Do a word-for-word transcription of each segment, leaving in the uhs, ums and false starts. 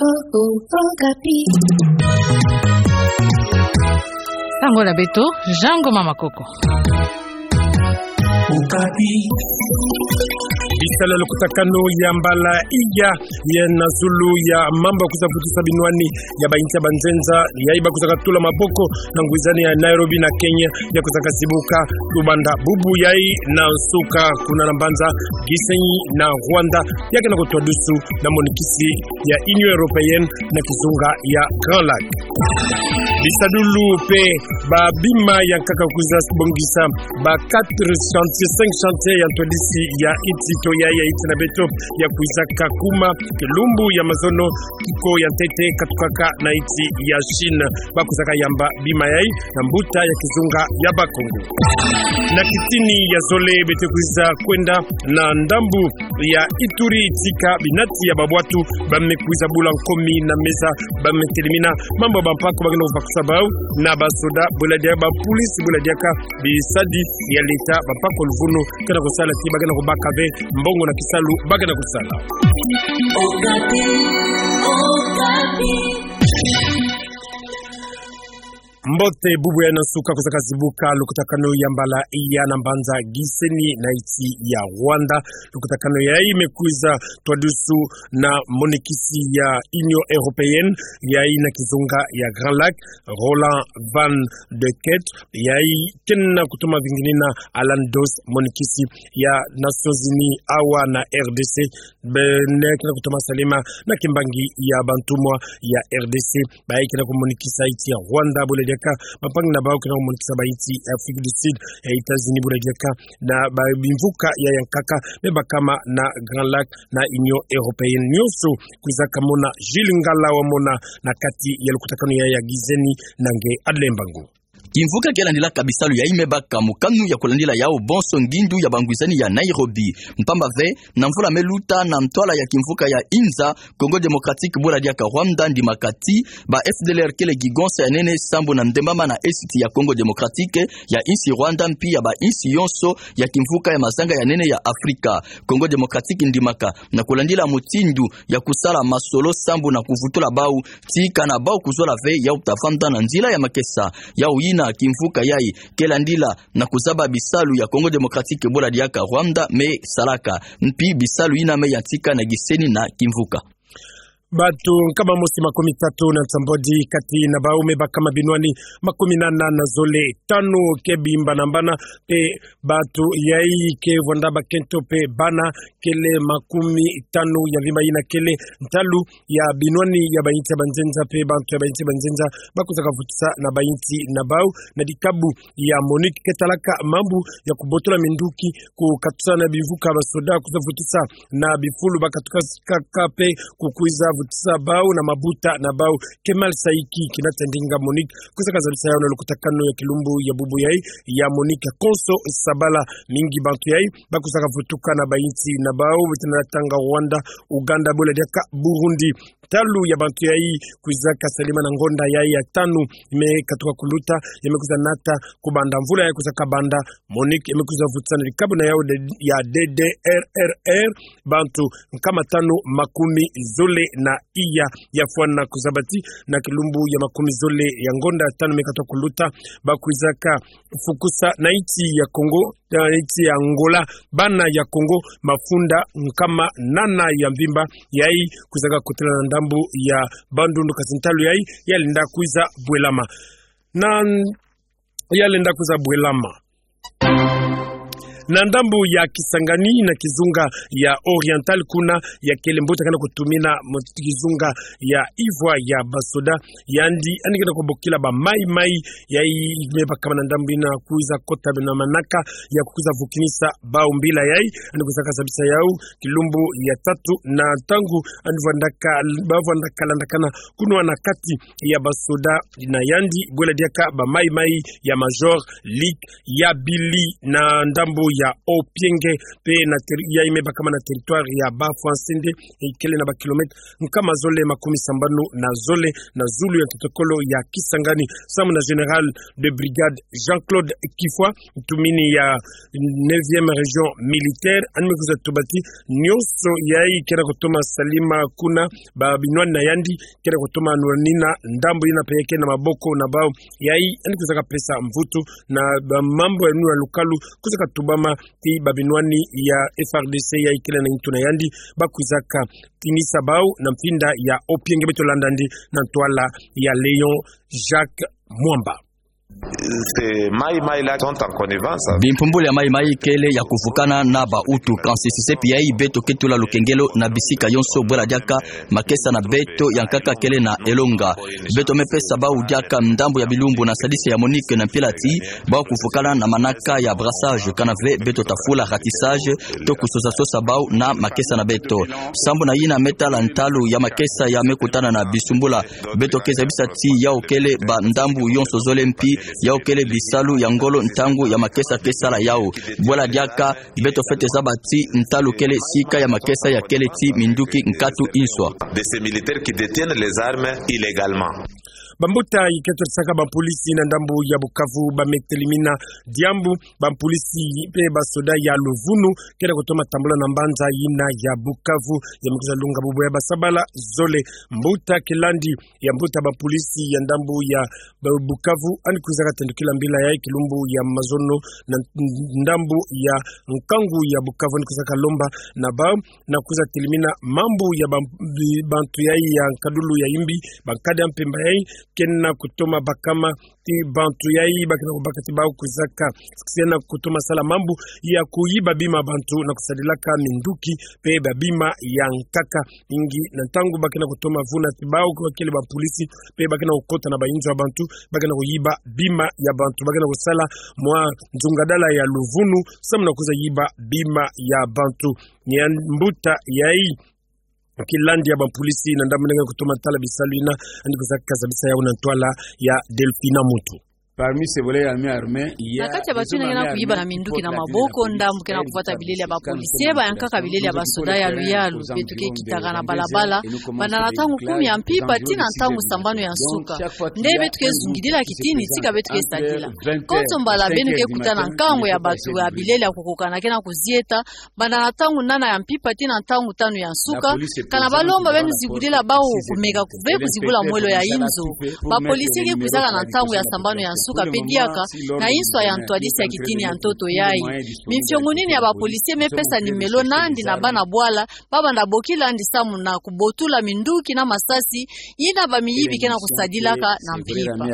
Oh, oh, Okapi. Sango na beto, Jean Ngoma Makoko. Okapi. Bisalu ya lukutakanu ya mbala iya, ya na zulu ya mambu ya kwiza vutisa binwani ya bainsi ya banzenza, yayi ba kwizaka tula maboko na ngwizani ya Nairobi na Kenya, ya kwizaka zibuka tubanda bubu yayi na nsuka kuna na mbanza Gisenyi na Rwanda, ya kena kutwadusu na monikisi ya Union Européenne na kizunga ya Grand Lac. Bisadulu mpe ba bima ya nkaka kwiza bongisa ba quatre chantiers, cinq chantiers ya ntwadisi ya insi to ya, ya insi na beto, ya kwizaka kuma kilumbu ya mazono, kiko ya ntete katukaka na insi ya Chine. Ba kwizaka yamba bima yayi na mbuta ya kizunga ya Bakongo. Na kitini ya zole beto kwiza kwenda na ndambu ya Ituri, tika binati ya babwatu ba me kwiza bula nkomi na meza, ba me telemina mambu ya bampaku ba kena kubakusa bau na basoda, bwela diaka bapolisi, bwela diaka bisadi ya leta, bampaku ya luvunu kena kusala ti ba kena kubaka ve mbongo na kisalu ba kena kusala. Okapi, Okapi. Mbote, bubu ya na nsuka kwizaka zibuka lukutakanu ya mbala iya na mbanza Gisenyi na insi ya Rwanda. Lukutakanu yayi me kwiza twadusu na monikisi ya Union Européenne, yayi na kizunga ya Grand Lac, Roland Van de Keet, yayi kena kutoma vinginina Alan Doss, monikisi ya Nations Unies awa na R D C, bene kena kutoma salima na kimbangi ya bantumwa ya R D C, bayi kena kumonikisa insi ya Rwanda, bwela diaka bampangi na bau kena kumonikisa bainsi ya Afrique du Sud, ya États-Unis, bwela diaka na ba bimvuka ya yankaka me bakama na Grand Lac na Union Européenne. Nionso kwizaka mona Jules Ngala Wamona na kati ya lukutakanu ya, ya Gisenyi na nge Adle Mbangu. Kimvuka ke landilaka bisalu yayi me baka mokanu ya kulandila yau bonso ngindu ya bangwizani ya Nairobi. Mpamba ve, na mvula me luta, na ntwala ya kimvuka ya Inza, Congo Démocratique bwela diaka Rwanda ndimaka ti ba F D L R kele kigonsa ya nene sambu na ndembama na Est ya Congo Démocratique, ya insi Rwanda mpi ya bainsi yonso ya kimvuka ya mazanga ya nene ya Afrika. Congo Démocratique ndimaka na kulandila mutindu ya kusala masolo sambu na kuvutula bau, tika na bau kuzola ve yau ta vanda na nzila ya makesa. Yau yina kimvuka yayi ke landila na kuzaba bisalu ya Congo Démocratique bwela diaka Rwanda me salaka, mpi bisalu yina me yantika na Gisenyi na kimvuka. Bato nkama mosi makumi tatu na nsambwadi kati na bau me bakama binwani makumi nana na zole, tanu ke bimba na mbana, mpe bato yayi ke vwanda bakento mpe bana kele makumi tanu ya mvimba. Yina kele ntalu ya binwani ya bainsi ya banzenza mpe bantu ya bainsi ya banzenza ba kwizaka vutisa na bainsi na bau na dikabu ya MONUC ke talaka mambu ya kubotola minduki, kukatusa na bimvuka basoda kwiza vutisa na bifulu ba katuka kaka mpe kukwiza vutisa bau na mabuta na bau. Kemal Saiki, kina ta ndinga MONUC, kwizaka zabisa yau na lukutakanu ya kilumbu ya bubu yayi ya MONUC ya konso sabala. Mingi bantu yayi ba kwizaka vutuka na bainsi na bau, beto na tanga Rwanda, Ouganda, bwela diaka Burundi. Ntalu ya bantu yayi kwizaka salima na ngonda yayi ya tanu me katuka kuluta, ya me kwiza nata kubanda mvula yayi kwizaka banda. MONUC ya me kwiza vutisa na dikabu na yau de-, ya D D R R R, bantu nkama tanu makumi zole na iya. Ya fwana kuzabati na kilumbu ya makumi zole ya ngonda ya tanu me katuka kuluta, ba kwizaka fukusa na insi ya Congo, na insi ya Angola, bana ya Congo mafunda nkama nana ya mvimba, yayi kwizaka kotela na ndambu ya Bandundu, kasi ntalu yayi ya lenda kwiza bwelama. Na, ya lenda kwiza bwelama. Na ndambu ya Kisangani na kizunga ya Oriental, kuna ya kele mbuta kena kutumina mu kizunga ya ivwa ya basoda, yandi, yandi kena kubokila ba Mai Mai, yayi me bakama na ndambu yina kwiza kota na manaka ya kukwiza vukinisa bau mbila yayi. Yandi kwizaka zabisa yau kilumbu ya tatu na ntangu yandi vwandaka, ba vwandaka landakana kunwa na kati ya basoda na yandi, bwela diaka ba Mai Mai ya Major Luc Yabili na ndambu ya Opienge, pe na teri-, yayi me bakama na territoire ya Bafwa-Nsende, ikele na ba kilomètre nkama zole makumi sambanu na zole na zulu ya ntoto-kolo ya Kisangani, samu na général de brigade Jean-Claude Kifwa, ntumini ya neuvième région militaire, yandi me kwiza tuba ti nyonso yayi ke na kutoma salama kuna, ba binwani na yandi ke na kutoma nwanina ndambu yina pe ke na maboko na bawu. Yayi yandi kwizaka pesa mvutu na ba mambu ya nuna lukalu kwizaka tubama ti ba binwani ya F R D C yayi kele na ntu na yandi, ba kwizaka tinisa bawu na mfinda ya Opienge. Beto landa yandi na ntwala ya Léon Jacques Mwamba. Ces Maï-Maï là sont en connivence. Bimpumbulu ya Maï-Maï kele ya kuvukana na ba Hutu. Kansi si sepi yayi beto ke tula lukengelo na bisika yonso, bwela diaka makesa na beto ya nkaka kele na elonga. Beto me pesa bawu diaka ndambu ya bilumbu na sadisi ya MONUC na mpila ti bawu kuvukana na manaka ya brassage, kana ve beto tafula ratissage, to kusosa-sosa bawu na makesa na beto. Sambu na yina me tala ntalu ya makesa ya me kutana na bisumbula, beto ke zabisa ti yawu kele ba ndambu yonso zole mpi yawu kele bisalu ya ngolo ntangu ya makesa ke sala yawu. Bwela diaka beto fwete zaba ti ntalu kele sika ya makesa ya kele ti minduki nkatu inswa. De ces militaires qui détiennent les armes illégalement. Bambuta yi ke twarisaka bapolisi na ndambu ya Bukavu ba me telimina diambu, bapolisi pe basoda ya luvunu ke na kutoma tambula na mbanza yina ya Bukavu, ya me kwiza lunga bubu ya basabala zole. Mbuta kilandi ya mbuta bapolisi ya ndambu ya Ba-, Bukavu, yandi kwizaka tendukila mbila yayi kilumbu ya mazono na ndambu ya nkangu ya Bukavu, yandi kwizaka lomba na bawu na kwiza telimina mambu ya ba-, bi-, bantu yayi ya nkadulu ya yimbi, bankadi ya mpemba yayi ke na kutoma bakama ti bantu yayi ba ke na kubaka ti bawu kwizaka, ke na kutoma sala mambu ya kuyiba bima bantu na kusadilaka minduki pe ba bima ya nkaka. Mingi na ntangu ba ke na kutoma vuna ti bawu ke bakele bapolisi, pe ba ke na kukota na bayinzo ya bantu, ba ke na kuyiba bima ya bantu, ba ke na kusala mwa nzungadala ya luvunu, samu na kwiza yiba bima ya bantu. Ni ya mbuta yayi kilandi ya bapolisi na ndambu yina ke na kutoma tala bisalu yina, yandi kwizaka zabisa yawu na ntwala ya Delphina Mutu. Parmi ces voleurs armés, armés, il y a Na kati ya bantu yina ke na kuyiba na minduki na maboko, ndambu ke na kuvwata bilele ya bapolisi, ba ya nkaka bilele ya basoda ya luyalu. Beto ke kitaka na balabala banda na ntangu kumi ya mpimpa tii na ntangu sambanu ya nsuka. Nde beto ke zungidila kitini tika beto ke sadila. Konso mbala beno ke kuta na nkangu ya bantu ya bilele ya kukokana ke na kuzieta, banda na ntangu nana ya mpimpa tii na ntangu tanu ya nsuka, kana balomba beno zibudila bawu kumeka kuve kuzibula mwelo ya inzo. Bapolisi ke kwizaka na ntangu ya sambanu ya nsuka pe diaka na inswa ya ntwadisi ya kitini ya ntoto yayi. Mifiongo nini ya bapolisi me pesa nimelo nandi na bana bwala, ba banda bokila nandi samu na kubotula minduki na masasi yina bamiyibi ke na kusadilaka na mpimpa.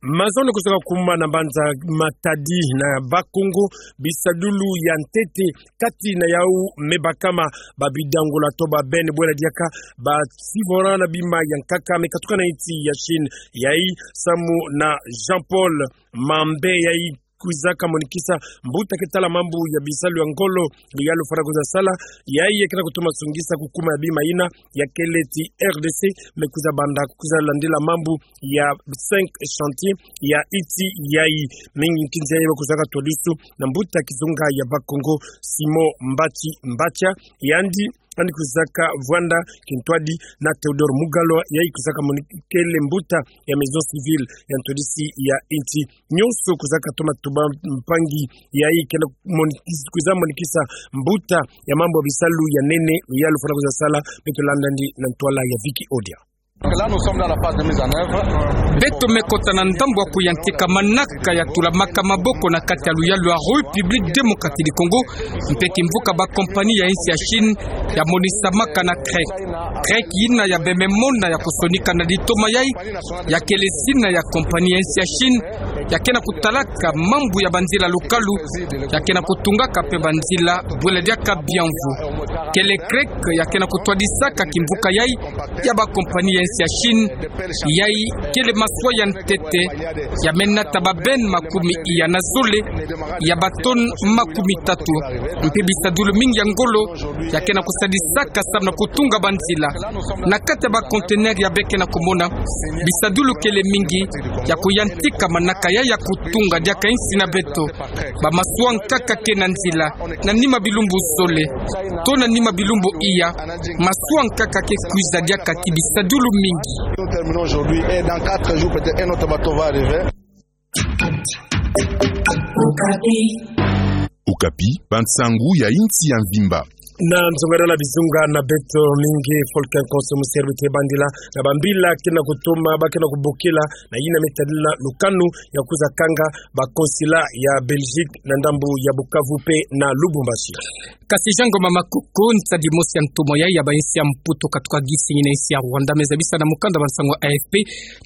Mazono kwizaka kuma na mbanza Matadi na Bas-Congo, bisadulu ya ntete kati na yawu me bakama ba bidangola to ba bene, bwela diaka ba sivora na bima ya nkaka me katuka na insi ya Chine. Yayi samu na Jean-Paul Mambe, yayi kwizaka monikisa mbuta ke tala mambu ya bisalu ya ngolo, ya lufwara kwiza sala, yayi ya ke na kutoma sungisa kukuma ya bima yina, ya kele ti R D C, me kwiza banda kwiza landila mambu ya cinq chantiers ya insi yayi. Mingi nkinzi yayi ba kwizaka twadisa na mbuta kizunga ya Bas-Congo, Simon Mbatshi Mbatshia, yandi yandi kwizaka vwanda kintwadi na Théodore Mugalwa, yayi kwizaka moni-, kele mbuta ya Maison Civile ya ntwadisi ya insi. Nyonso kwizaka toma tuba mpangi yayi ke na moni-, kwiza monikisa mbuta ya mambu ya bisalu ya nene ya lufwara kwiza sala. Beto landa yandi na ntwala ya Vicky Odia. Là, nous sommes dans la phase de mise en œuvre. Beto me kota na ndambu ya kuyantika manaka ya tulamaka maboko na kati ya luyalu ya République Démocratique du Congo, mpe kimvuka ba compagnie ya insi ya Chine ya monisamaka na CREC. CREC yina ya bembe mona ya kusonika na litoma yayi, ya kele zina ya compagnie ya insi ya Chine ya ke na kutalaka mambu ya banzila lukalu, ya ke na kutungaka mpe banzila, bwela diaka Bianvu. Kele CREC ya ke na kutwadisaka kimvuka yayi ya ba compagnie ya ya Chine, yayi kele maswa ya ntete, ya me nata ba benne makumi iya na zole, ya ba tonne makumi tatu. Mpe bisadulu mingi ya ngolo, ya ke na kusadisaka samu na kutunga banzila. Na kati ya ba conteneur ya be ke na kumona, bisadulu kele mingi, ya kuyantika manaka yayi ya kutunga diaka insi na beto. Ba maswa nkaka ke na nzila, na nima bilumbu zole, to na nima bilumbu iya, maswa nkaka ke kwiza diaka ti bisadulu mingi. Nous terminons aujourd'hui et dans quatre jours, peut-être un autre bateau va arriver. Okapi, bansangu ya insi ya mvimba. Na nzonganelo ya bizunga na beto mingi, Volcan Konso Musier Bite Bandila, na bambila ke na kutoma, ba ke na kubokila, na yina me tadila lukanu ya kwiza kanga ba consulat ya Belgique na ndambu ya Bukavu mpe na Lubumbashi. Kasi Jean Ngoma Makoko, nsadi mosi ya ntumwa yayi ya ba insi ya Mputu katuka gisi yina insi ya Rwanda, me zabisa na mukanda bansangu ya A F P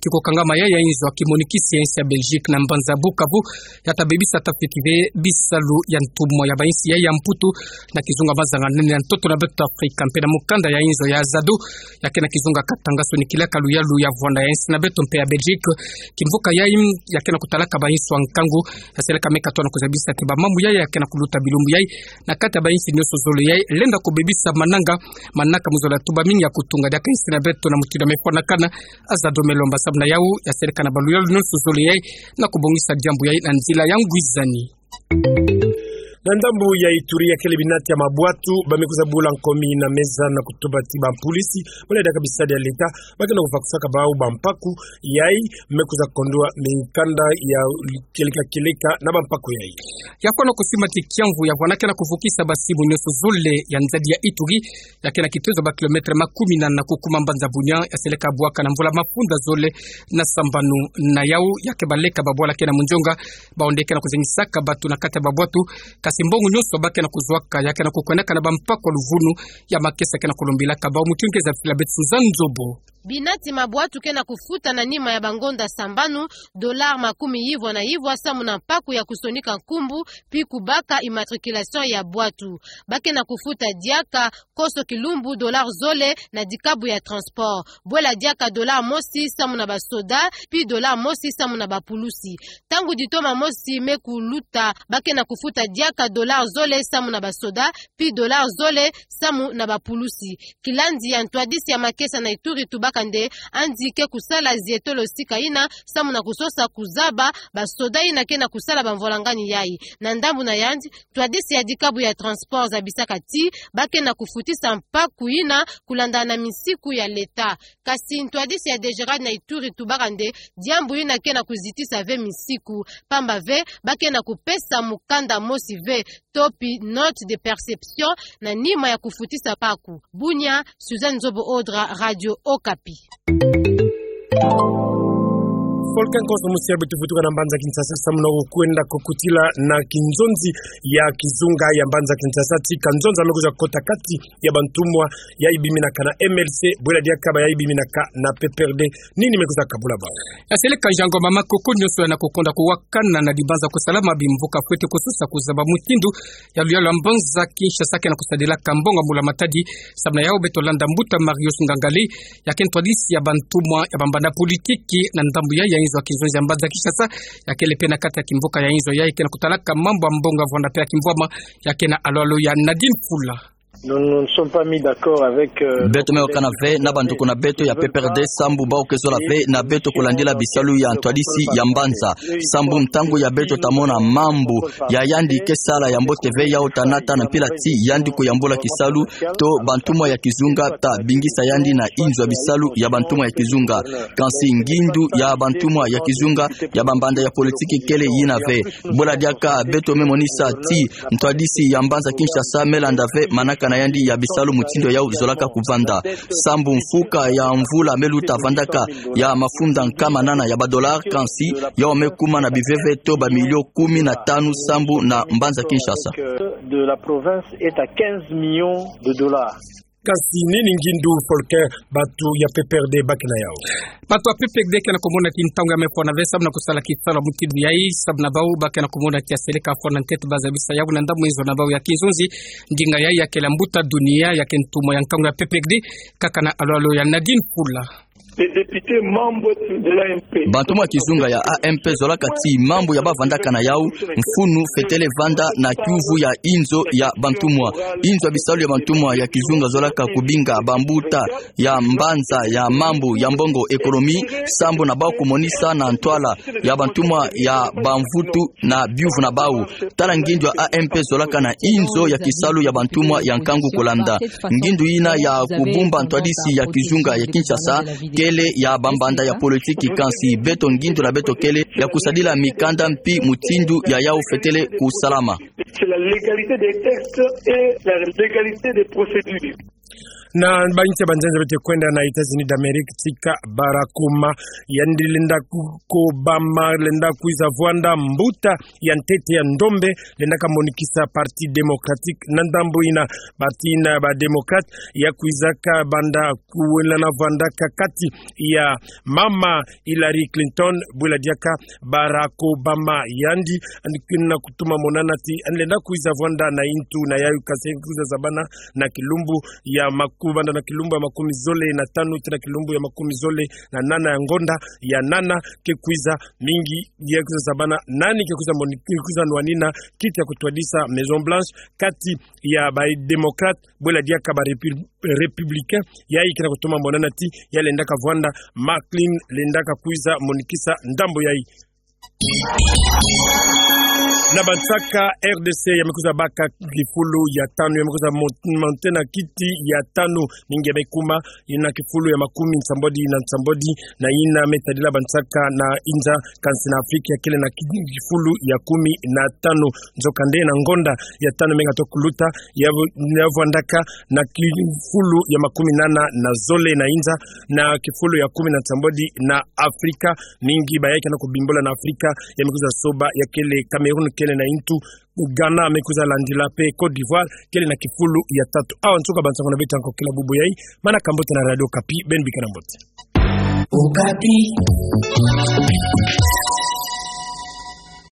ti kukangama yayi ya inzo ya kimonikisi ya insi ya Belgique na mbanza Bukavu, ya ta bebisa ta fiki ve bisalu ya ntumwa ya ba insi yayi ya Mputu na kizunga mazanga nene ya ntoto na beto Afrika. Mpe na mukanda ya inzo ya Azado, ya ke na kizunga Katanga, sonikilaka luyalu ya vwanda ya insi na beto mpe ya Belgique. Kimvuka yayi, ya ke na kutalaka ba insi ya nkangu, ya seleka me katoa na kuzabisa ti ba mambu yayi ya ke na kuluta bilumbu yayi na kati ya ba insi nyonso zole yayi lenda kubebisa mananga, manaka mu zola tuba mingi ya kutunga diaka insi na beto na mutindu ya me fwanakana. Azado me lomba samu na yawu, ya seleka na ba luyalu nyonso zole yayi na kubongisa diambu yayi na nzila ya ngwizani. Na ndambu ya Ituri, ya kele binati ya mabwatu ba me kwiza bula nkomi na meza na kutuba ti ba mpolisi, bwela diaka bisadi ya leta, ba ke na kuvakusaka bawu ba mpaku yayi me kwiza kondwa mikanda ya kieleka kieleka na ba mpaku yayi. Ya fwana kusima ti kiamvu ya vwana ke na kuvukisa ba simu nyonso zole ya nzadi ya Ituri, ya ke na kitezo ba kilomètre makumi nana kukuma mbanza Bunia, ya seleka bwaka na mvula mafunda zole na sambanu. Na yawu, ya ke baleka ba bwala ke na munzonga, bawu nde ke na kuzengisaka batu na kati ya babwatu, kasi mbongo nyonso ba ke na kuzwaka, ya ke na kukwendaka na ba mpaku ya luvunu, ya makesa ke na kulombilaka bawu. Mutindu ke zabisila beto Suzanne Nzobo. Binati mabwatu ke na kufuta na nima ya bangonda sambanu, dollar makumi yivwa na yivwa samu na mpaku ya kusonika nkumbu, pi kubaka immatriculation ya bwatu. Ba ke na kufuta diaka koso kilumbu dollar zole na dikabu ya transport. Bwela diaka dollar mosi samu na basoda, pi dollar mosi samu na bapulusi. Tangu ditoma mosi me kuluta, ba ke na kufuta diaka dollar zole samu na basoda, pi dollar zole samu na bapulusi. Kilandi ya ntwadisi ya makesa na Ituri tubaka nde yandi ke kusala zietolo sika yina samu na kusosa kuzaba basoda yina ke na kusala bamvwalangani yayi. Na ndambu na yandi, ntwadisi ya dikabu ya transport zabisaka ti ba ke na kufutisa mpaku yina kulandana na misiku ya leta. Kasi ntwadisi ya DGRAD na Ituri tubaka nde diambu yina ke na kuzitisa ve misiku, pamba ve ba ke na kupesa mukanda mosi ve, to pi note de perception, na nima ya kufutisa mpaku. Bunia, Suzanne Nzobo Odra, Radio Okapi. Volcan Konso Musier Bite vutuka na mbanza Kinshasa samu na kukwenda kukutila na kinzonzi ya kizunga ya mbanza Kinshasa ti kanzonza me kwiza kota kati ya bantumwa yayi biminaka na MLC, bwela diaka bayayi biminaka na PPRD. Nini me kwiza kabula bawu? Ya seleka Jean Ngoma Makoko, nyonso ya na kukonda kuwakana na dibanza kusalama bimvuka fwete kusosa kuzaba mutindu ya luyalu ya mbanza Kinshasa ke na kusadilaka mbongo ya mbula matadi. Samu na yawu beto landa mbuta Marius Ngangali, ya ke ntwadisi ya bantumwa ya bambanda politiki na ndambu yayi ya inzo ya kinzonzi ya mbanza Kinshasa, ya kele mpe na kati ya kimvuka ya inzo yayi ke na kutalaka mambu ya mbongo ya vwanda mpe ya kimvwama, ya ke na alwalo ya Nadine Pula. Nous ne nous sommes pas mis d'accord avec, euh, beto me wakana ve na banduku na beto ya PPRD sambu bawu ke zola ve na beto kulandila bisalu ya ntwadisi ya mbanza. Sambu ntangu ya beto ta mona mambu ya yandi ke sala ya mbote ve, yawu ta nata na mpila ti yandi kuyambula kisalu, to bantumwa ya kizunga ta bingisa yandi na inzo ya bisalu ya bantumwa ya kizunga. Kansi ngindu ya bantumwa ya kizunga ya bambanda ya politiki kele yina ve. Bwela diaka beto me monisa ti ntwadisi ya mbanza Kinshasa me landa ve manaka na yandi ya bisalu mutindu yawu zolaka kuvanda. Sambu mfuka ya mvula me luta vandaka ya mafunda nkama nana ya badollar, kansi yawu me kuma na biveve to bamilio kumi na tanu sambu na mbanza Kinshasa. De la province est à quinze millions de dollars. Kansi nini ngindu Volcan batu ya PPRD ba ke na yawu? Batu ya PPRD ke na kumona ti ntangu ya me fwana ve samu na kusala kisalu mutindu yayi, samu na bawu ba ke na kumona ti ya seleka fwana ntete ba zabisa yawu na ndambu inzo na bawu ya kinzonzi. Ndinga yayi ya kele mbuta Dunia, ya ke ntumwa ya nkangu ya PPRD, kaka na alwalo ya Nadine Pula. Les députés membres de l'A M P. Bantumwa ya kizunga ya A M P zolaka ti mambu ya bavandaka na yau, mfunu fetele vanda na kiuvu ya inzo ya bantumwa. Inzo ya bisalu ya bantumwa ya kizunga zolaka kubinga bambuta ya mbanza ya mambu ya mbongo, économie, sambu na bau kumonisa na ntwala ya bantumwa ya bamvutu na biuvu na bau. Tala ngindu ya A M P zolaka na inzo ya kisalu ya bantumwa ya nkangu kulanda. Ngindu yina ya kubumba ntwadisi ya kizunga ya Kinshasa, kele ya bambanda ya politiki, kansi beto ngindu na beto kele ya kusadila mikanda mpi mutindu ya yau fetele kusalama. C'est la légalité des textes et la légalité des procédures. Na bainsi ya banzenza beto kwenda na États-Unis d'Amérique, tika Barack Obama, yandi lenda ku-, Obama lenda kwiza vwanda mbuta ya ntete ya ndombe, lenda kamonikisa Parti Démocratique. Na ndambu yina, parti yina ba Démocrates ya kwizaka banda kuwela na vwandaka kati ya mama Hillary Clinton, bwela diaka Barack Obama yandi, yandi kwenda kutuma monana ti yandi lenda kwiza vwanda na ntu na yayu, kansi kwiza zabana na kilumbu ya maku-, banda na kilumbu ya makumi zole na tanu tii na kilumbu ya makumi zole na nana ya ngonda ya nana, ke kwiza mingi, ya kwiza zabana nani ke kwiza moni-, ke kwiza nwanina kiti ya kutwadisa Maison Blanche kati ya ba Démocrates, bwela diaka ba Répu-, Républicains, yayi kena kutuma monana ti ya lenda kavwanda, McCain lenda kakwiza monikisa ndambu yayi. Na bansaka, R D C ya me kwiza baka kifulu ya tanu, ya me kwiza mon-, monter na kiti ya tanu, mingi ya me kuma, yina kifulu ya makumi nsambwadi na nsambwadi, na yina me tadila bansaka na inza, kansi na Afrika, kele na ki-, kifulu ya kumi na tanu. Nzokande na ngonda ya tanu me ngato kuluta, ya vw-, ya vwandaka na kifulu ya makumi nana na zole na inza, na kifulu ya kumi na nsambwadi na Afrika. Mingi bayayi kena kubimbula na Afrika, ya me kwiza soba, ya kele Cameroun, kele na ntu, Ghana me kwiza landila, pe Côte d'Ivoire kele na kifulu ya tatu. Awa nsuka bansango na beto ya nkokila bubu yayi, mana ka mbote na Radio Okapi, beno bikana mbote. Okapi.